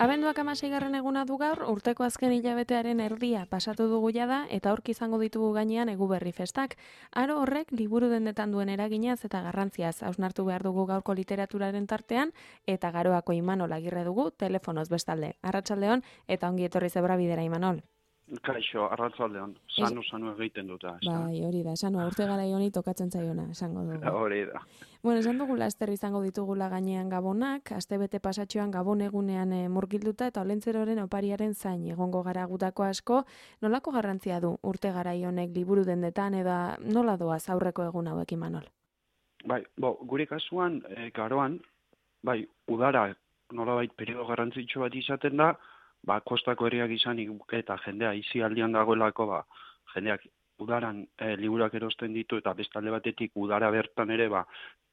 Abenduak 16. eguna du gaur, urteko azken hilabetearen erdia pasatu dugu jada eta aurki izango ditugu gainean Eguberri festak. Aro horrek liburu dendetan duen eraginaz eta garrantziaz hausnartu behar dugu gaurko literaturaren tartean eta Garoako Imanol Agirre dugu telefonoz bestalde. Arratsaldeon eta ongi etorri Zebrabidera Imanol. Kaixo, arratsaldeon. Sanu egiten dut. Bai, hori da, sanu urte garai honi tokatzen zaiona, esango dugu. Hori da. Bueno, esan dugu laster izango ditugula gainean Gabonak, astebete pasatxoan Gabon egunean murgilduta eta Olentzeroren opariaren zain egongo gara gutako asko. Nolako garrantzia du urte garai honek liburu dendetan eta nola doaz aurreko egun hauek Imanol? Bai, gure kasuan, Garoan, bai, udara nolabait periodo garrantzitsu bat izaten da, kostako herriak izanik eta jendea isialdian dagoelako, jendeak udaran liburuak erosten ditu eta bestalde batetik udara bertan ere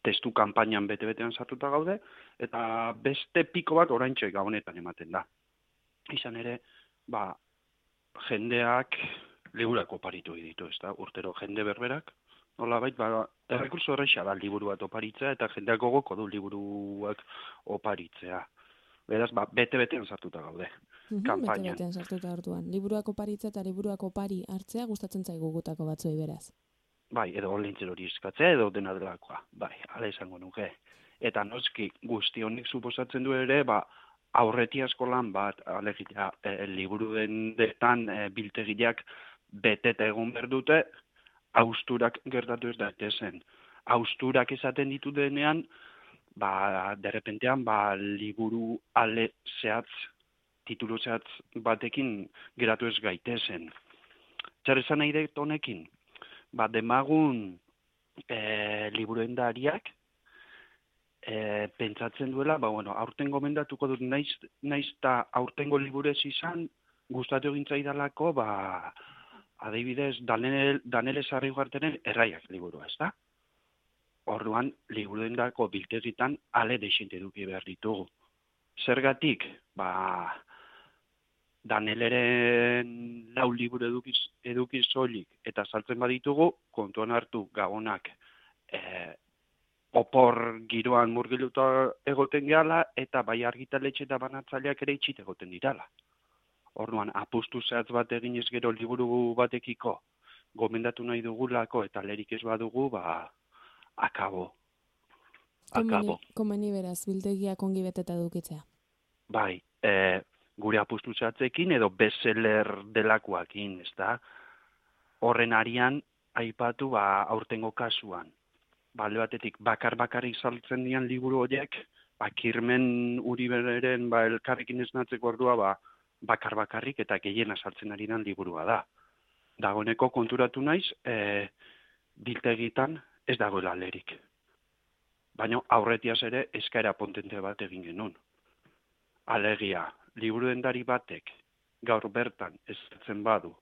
testu kanpainan bete-betean sartuta gaude, eta beste piko bat oraintxe Gabonetan ematen da. Izan ere, jendeak liburuak oparitu ditu, ezta? Urtero jende berberak, nolabait, errekurso horreixa da liburu bat oparitzea eta jendeak gogoko du liburuak oparitzea. Beraz, bete-betean sartuta gaude. Kampainan. Bete-betean sartuta orduan. Liburuak oparitzea eta liburuak opari hartzea gustatzen zaigu gutako batzuei beraz. Bai, edo Olentzer hori eskatzea edo dena delakoa. Bai, hala izango nuke. Eta noski guzti honek suposatzen du ere, aurretia eskolan bat, alegia, liburu dendetan biltegiak beteta egon behar dute, hausturak gertatu ez daitezen. Hausturak esaten ditu denean, derrepentean, liburu ale zehatz, titulu zehatz batekin geratu ez gaitezen. Zer esan nahi dut honekin? Demagun liburuendariak pentsatzen duela, aurten gomendatuko dut naiz eta aurtengo liburez izan, gustatu egin zaidalako, adibidez, Danele Sarriugartenen Erraiak liburua, ez da? Orduan, liburuendako biltegitan ale deixente eduki behar ditugu. Zergatik, Daneleren 4 liburu eduki soilik eta saltzen baditugu, kontuan hartu Gabonak opor giroan murgiluta egoten gehala eta bai argitaletxe eta banatzaileak ere itxit egoten dirala. Orduan, apustu zehatz bat eginez gero liburu batekiko gomendatu nahi dugulako eta lerik ez badugu, akabo. Komeni beraz, biltegiak ongi beteta edukitzea. Bai, gure apustu zehatzekin edo bestseller delakoakin, ez da? Horren arian, aipatu aurtengo kasuan. Balde batetik, bakarrik saltzen dian liburu horiek, Kirmen Uriberen elkarrekin esnatzeko ordua, bakarrik eta gehiena saltzen ari den liburua da. Dagoeneko konturatu naiz, biltegitan ez dagoela lerik. Baina aurretiaz ere eskaera potente bat egin genuen. Alegia, liburuendari batek gaur bertan ezartzen badu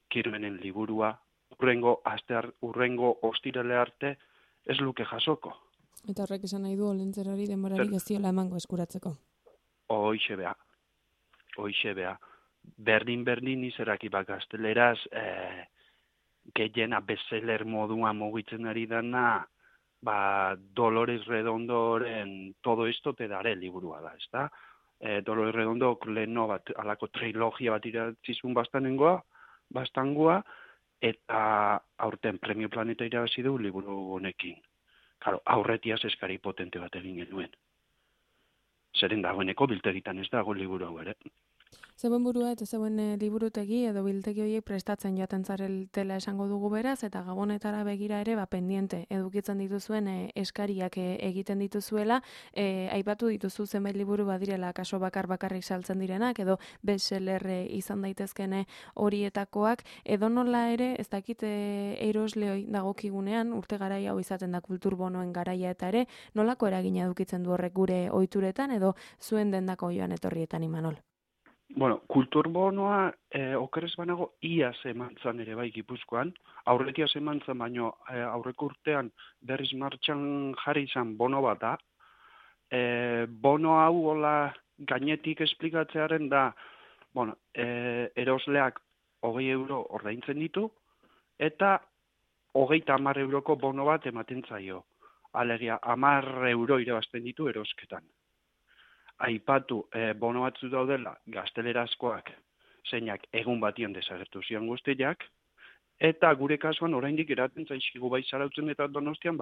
Kirmenen liburua, urrengo ostirale arte ez luke jasoko. Eta horrek esan nahi du Olentzerori denborarik ez diola emango eskuratzeko. Hoixe bea. Berdin izeraki gazteleraz gehiena bestseller moduan mugitzen ari dana, Dolores Redondoren Todo esto te daré liburua da, ez da? Dolores Redondo leheno alako trilogia bat iratzizun bastangoa, eta aurten Premio Planeta irabazi du liburu honekin. Claro, aurretiaz eskari potente bat egin genuen. Zeren dagoeneko biltegitan ez dago liburu hau ere. Zeuen burua eta zeuen liburutegi edo biltegi horiek prestatzen joaten zareltela esango dugu beraz, eta Gabonetara begira ere pendiente edukitzen dituzuen eskariak egiten dituzuela, aipatu dituzu zenbait liburu badirela kaso bakarrik saltzen direnak, edo bestseller izan daitezkene horietakoak, edo nola ere, ez dakit erosleoi dagokigunean, urte garai hau izaten da kulturbonoen garaia eta ere, nolako eragina edukitzen du horrek gure ohituretan edo zuen dendako joan etorrietan Imanol? Bueno, kulturbonoa okerez banago iaz emantzan ere bai Gipuzkoan, aurretiaz emantzan baino aurreko urtean berriz martxan jarri izan bono bat da. Bono hau hola gainetik esplikatzearen da, erosleak 20 euro ordaintzen ditu, eta 30 euroko bono bat ematen zaio. Alegia, 10 euro irabazten ditu erosketan. aipatu bono batzu daudela gaztelerazkoak, zeinak egun batian desagertu zian guztiak, eta gure kasuan oraindik eraten zaizkigu bai Zarautzen eta Donostian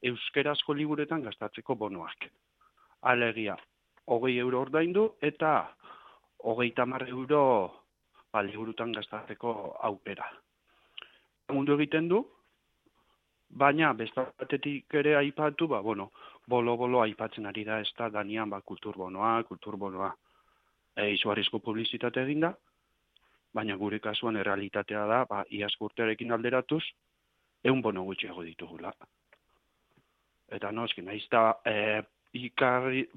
euskerazko liburuetan gastatzeko bonoak. Alegia, 20 euro ordaindu eta 30 euro liburutan gastatzeko aukera. Mundu egiten du, baina bestatetik ere aipatu, bolo aipatzen ari da, ez da, Danian, kulturbonoa. Izugarrizko publizitate eginda, baina gure kasuan errealitatea da, iazko urtearekin alderatuz, 100 bono gutxiago ditugula. Eta noski, nahiz da, ikarri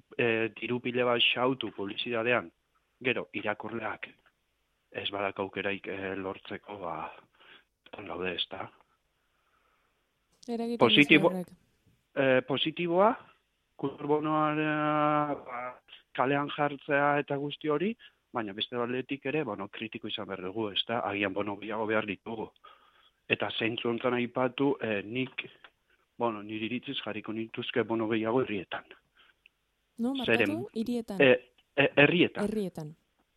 diru pile bat xautu publizitatean, gero, irakurleak ez badak aukeraik lortzeko, gaude ez da. Positiboa, kulturbonoa kalean jartzea eta guzti hori, baina beste baldetik ere, kritiko izan behar dugu, ez da, agian bono gehiago behar ditugu. Eta zeintzu honetan aipatu, nire iritziz jarriko nituzke bono gehiago herrietan. No, markatu, hirietan.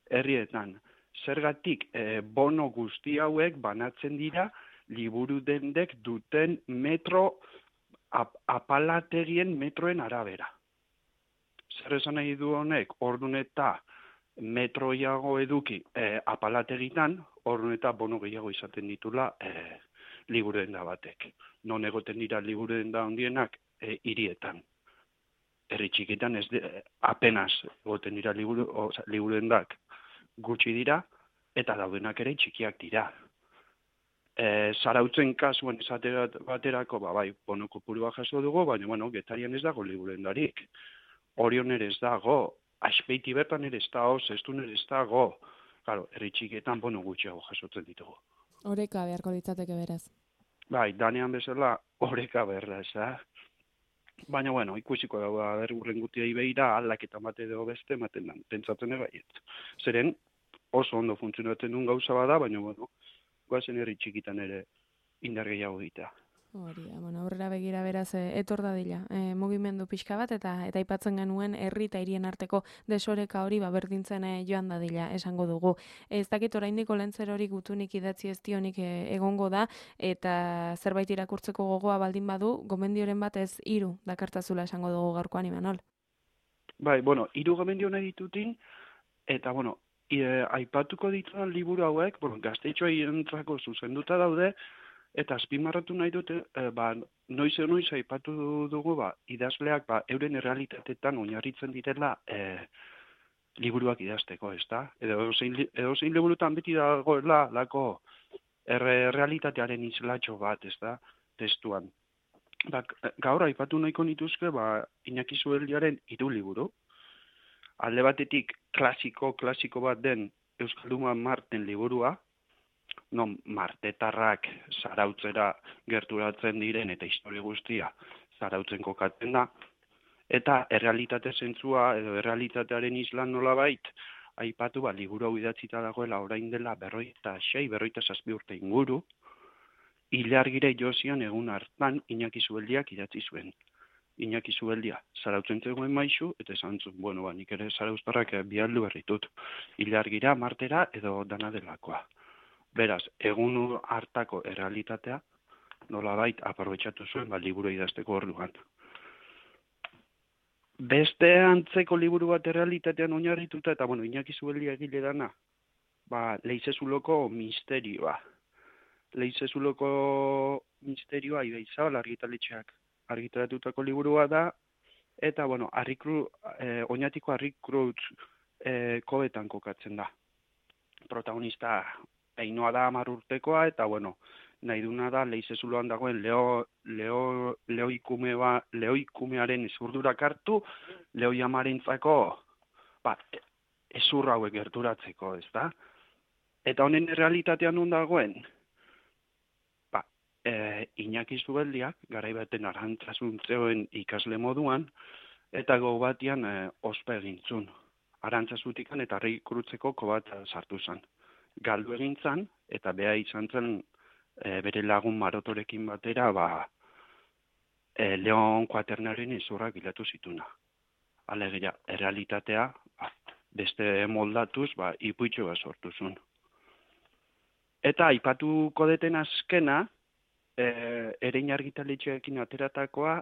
Herrietan. Zergatik, bono guzti hauek banatzen dira liburu dendek duten apalategien metroen arabera. Zer esan nahi du honek, ordun eta metroiago eduki apalategitan, ordun eta bono gehiago izaten ditula liburu denda batek. Non egoten dira liburu denda handienak hirietan. Herri txikitan apenas egoten dira liburu dendak gutxi dira, eta daudenak ere txikiak dira. Zarautzen kasuan esate baterako, bono kopurua jaso dugu, baina, Getarian ez dago liburu dendarik. Orion ere ez dago, Azpeiti bertan ere ez dago, Zestun ere ez dago. Claro, herri txikietan bono gutxiago jasotzen ditugu. Oreka beharko litzateke beraz. Danean bezala oreka berda, ez da? Baina, ikusiko da, urren gutiai behira, aldaketa bate edo beste, ematen da, pentsatzen egaiet. Zeren, oso ondo funtzionatzen duen gauza bada, baina, goazen herri txikitan ere indar gehiago egitea. Hori, aurrera begira beraz etor dadila. Mugimendu pixka bat eta aipatzen genuen herri eta hirien arteko desoreka hori berdintzen joan dadila esango dugu. Ez dakit oraindik olentzer hori gutunik idatzi ez dionik egongo da eta zerbait irakurtzeko gogoa baldin badu, gomendioren bat ez 3 dakartzazula esango dugu gaurkoan, Imanol. 3 gomendio nahi ditutin eta aipatuko ditudan liburu hauek, gaztetxoa entrako zuzenduta daude, eta azpimarratu nahi dute, noiz aipatu dugu, idazleak euren errealitatetan oinarritzen direla liburuak idazteko, ez da? Edozein liburutan beti dagoela lako errealitatearen islatxo bat, ez da? Testuan. Gaur aipatu nahiko nituzke, Iñaki Zubeldiaren 3 liburu. Alde batetik klasiko bat den Euskalduna Marten liburua, non martetarrak Zarautzera gerturatzen diren eta historia guztia Zarautzen kokatzen da, eta errealitate zentzua edo errealitatearen islan nolabait, aipatu liburu hau idatzita dagoela orain dela 46-47 urte inguru, Ilargire Josian egun hartan Iñaki Zubeldiak idatzi zuen. Iñaki Zubeldia Zarautzen zegoen maisu, eta esan zuen, nik ere zarauztarrak bialdu berritut. Ilargira, martera edo dana delakoa. Beraz, egun hartako errealitatea nolabait aprobetxatu zuen liburu idazteko orduan. Beste antzeko liburu bat errealitatean oinarrituta, eta Iñaki Zubeldia egile dana, Leizezuloko misterioa. Leizezuloko misterioa Ibeizabal argitaletxeak argitaratutako liburua da, eta oinatiko Harrikrutz kobetan kokatzen da. Protagonista Ainhoa da 10 urtekoa, eta nahi duna da Leizezuloan dagoen lehoikumearen ezurdurak hartu, lehoi amarentzako ezur hauek gerturatzeko, ez da? Eta honen errealitatean non dagoen? Iñaki Zubeldiak, garai baten arantzazuntzeoen ikasle moduan, eta gau batian ospa egintzun. Arantzazutikan eta Harrikrutzeko kobat sartu zen. Galdu egintzan, eta beha izan zen bere lagun Marotorekin batera, Leon Kuaternaren ezurrak bilatu zituna. Alegia, errealitatea beste moldatuz, ipuitxo bat sortu zuen. Eta aipatuko deten azkena, erein argitaletxeekin ateratakoa,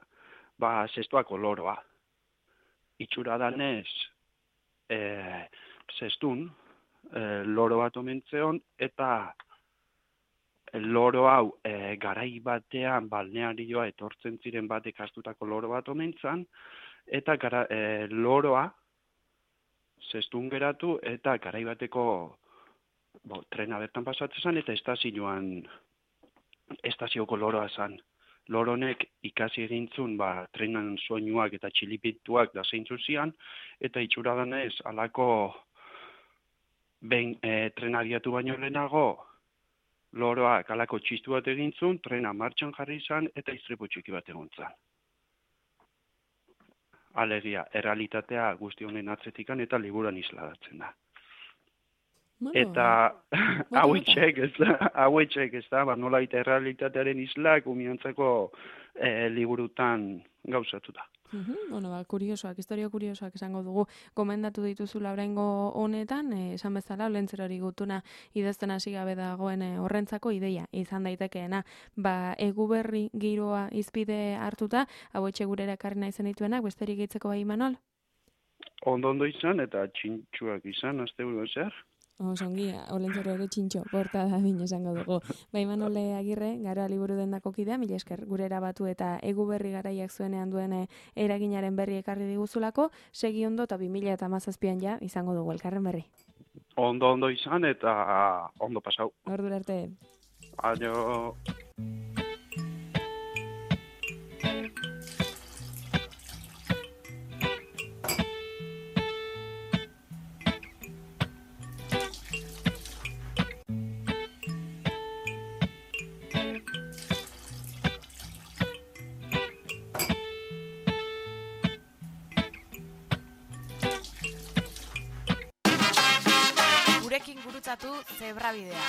zestuako loroa. Itxura danez, zestun, loro bat omentzeon, eta loro hau garai batean balnearioa etortzen ziren batek astutako loro bat omentzan, eta loroa zestun geratu eta garai bateko trena bertan pasatzen zen eta estazioko loroa zen. Loronek ikasi egintzun trenan soinuak eta txilipituak da zeintzu zian, eta itxura danez alako trena abiatu baino lehenago loroak alako txistu bat egintzun, trena martxan jarri izan eta istripu txiki bat egon zen. Alegia, errealitatea guzti honen atzetikan eta liburuan isladatzen da. Eta hauetxek ez da, nolait errealitatearen islak umiantzako liburutan gauzatu da. Kuriosoak, historia kuriosoak esango dugu, gomendatu dituzula oraingo honetan, esan bezala, olentzerori gutuna idazten hasi gabe dagoen horrentzako ideia izan daitekeena. Eguberri giroa izpide hartuta, hauetxe gurera ekarri nahi zenituenak, besterik gehitzeko bai, Imanol? Ondo izan eta txintxuak izan, asteburu zer? Osongi, olentzero ere txintxo, porta da bine esango dugu. Imanol Agirre, gara liburu dendako kidea, mila esker gurera batu eta Eguberri garaiak zuenean duen eraginaren berri ekarri diguzulako, segi ondo eta 2017an ja izango dugu elkarren berri. Ondo izan eta ondo pasau. Ordura arte. Aio. Gurekin gurutzatu Zebrabidea.